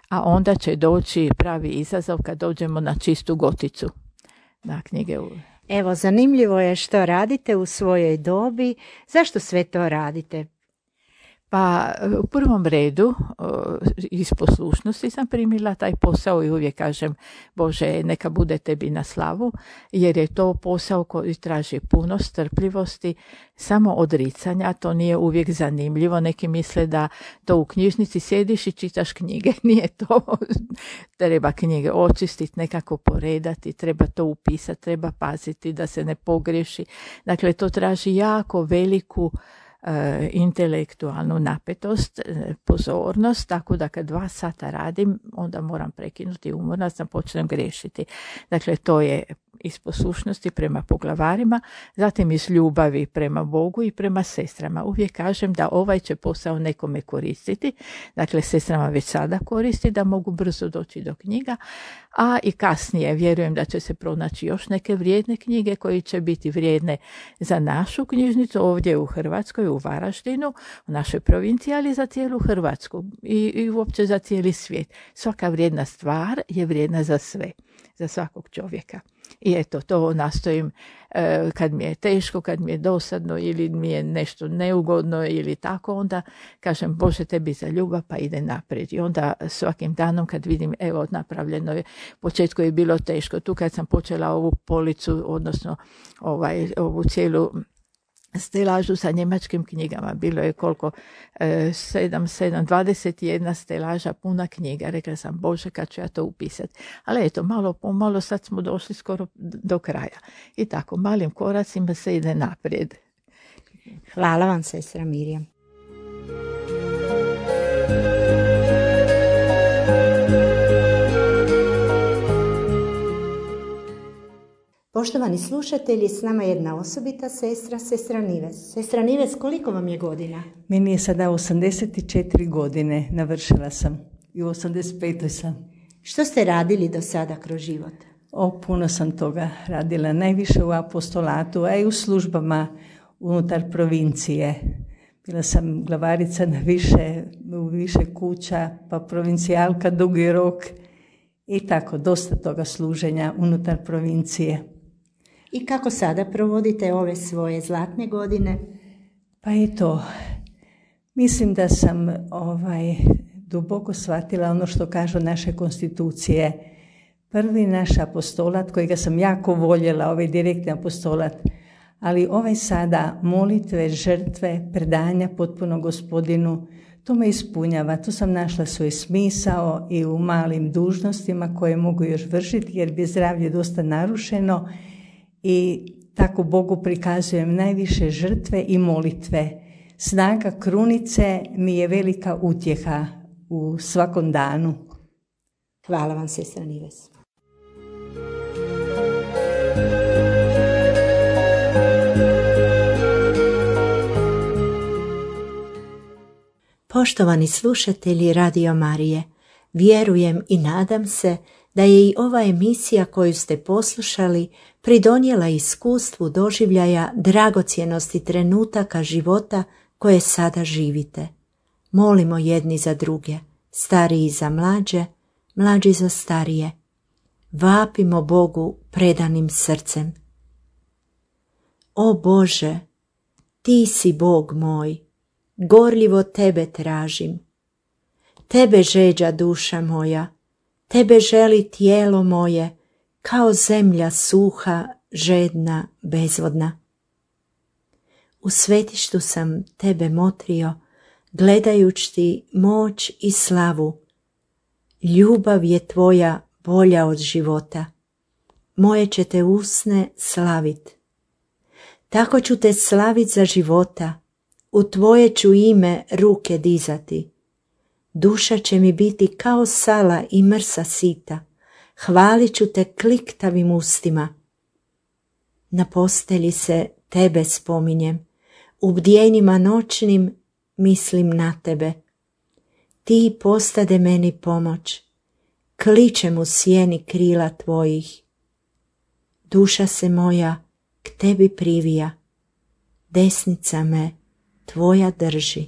a onda će doći pravi izazov kad dođemo na čistu goticu. Na knjige. Evo, zanimljivo je što radite u svojoj dobi. Zašto sve to radite? Pa u prvom redu iz poslušnosti sam primila taj posao i uvijek kažem Bože neka bude tebi na slavu, jer je to posao koji traži puno strpljivosti, samo odricanja, to nije uvijek zanimljivo. Neki misle da to u knjižnici sjediš i čitaš knjige, nije to. Treba knjige očistiti, nekako poredati, treba to upisati, treba paziti da se ne pogriješi. Dakle, to traži jako veliku intelektualnu napetost, pozornost, tako da kad 2 sata radim, onda moram prekinuti, umorna sam, počnem griješiti. Dakle, to je iz poslušnosti prema poglavarima, zatim iz ljubavi prema Bogu i prema sestrama. Uvijek kažem da ovaj će posao nekome koristiti, dakle sestrama već sada koristi da mogu brzo doći do knjiga, a i kasnije vjerujem da će se pronaći još neke vrijedne knjige koje će biti vrijedne za našu knjižnicu ovdje u Hrvatskoj, u Varaždinu, u našoj provinciji, ali za cijelu Hrvatsku i uopće za cijeli svijet. Svaka vrijedna stvar je vrijedna za sve, za svakog čovjeka. I eto, to nastojim kad mi je teško, kad mi je dosadno ili mi je nešto neugodno ili tako, onda kažem Bože tebi za ljubav pa ide naprijed. I onda svakim danom kad vidim evo napravljeno je, u početku je bilo teško, tu kad sam počela ovu policu, odnosno ovu cijelu stelažu sa njemačkim knjigama, bilo je koliko 21 stelaža puna knjiga, rekla sam Bože kad ću ja to upisati, ali eto malo po malo sad smo došli skoro do kraja i tako malim koracima se ide naprijed. Hvala vam sestra Mirjam. Poštovani slušatelji, s nama je jedna osobita sestra, sestra Nives. Sestra Nives, koliko vam je godina? Meni je sada 84 godine, navršila sam i u 85. sam. Što ste radili do sada kroz život? Puno sam toga radila, najviše u apostolatu, a i u službama unutar provincije. Bila sam glavarica u više kuća, pa provincijalka Dugi Rok i tako, dosta toga služenja unutar provincije. I kako sada provodite ove svoje zlatne godine? Pa eto, mislim da sam duboko shvatila ono što kažu naše konstitucije. Prvi naš apostolat, kojega sam jako voljela, ovaj direktni apostolat, ali ovaj sada molitve, žrtve, predanja potpuno Gospodinu, to me ispunjava. Tu sam našla svoj smisao i u malim dužnostima koje mogu još vršiti jer bi zdravlje dosta narušeno i tako Bogu prikazujem najviše žrtve i molitve. Snaga krunice mi je velika utjeha u svakom danu. Hvala vam, sestra Nives. Poštovani slušatelji Radio Marije, vjerujem i nadam se da je i ova emisija koju ste poslušali pridonijela iskustvu doživljaja dragocjenosti trenutaka života koje sada živite. Molimo jedni za druge, stariji za mlađe, mlađi za starije. Vapimo Bogu predanim srcem. O Bože, Ti si Bog moj, gorljivo Tebe tražim. Tebe žeđa duša moja, Tebe želi tijelo moje, kao zemlja suha, žedna, bezvodna. U svetištu sam Tebe motrio, gledajući Ti moć i slavu. Ljubav je Tvoja bolja od života. Moje će Te usne slavit. Tako ću Te slavit za života, u Tvoje ću ime ruke dizati. Duša će mi biti kao sala i mrsa sita, hvalit ću Te kliktavim ustima. Na postelji se Tebe spominjem, u bdjenjima noćnim mislim na Tebe. Ti postade meni pomoć, kličem u sjeni krila Tvojih. Duša se moja k Tebi privija, desnica me Tvoja drži.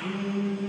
Amen.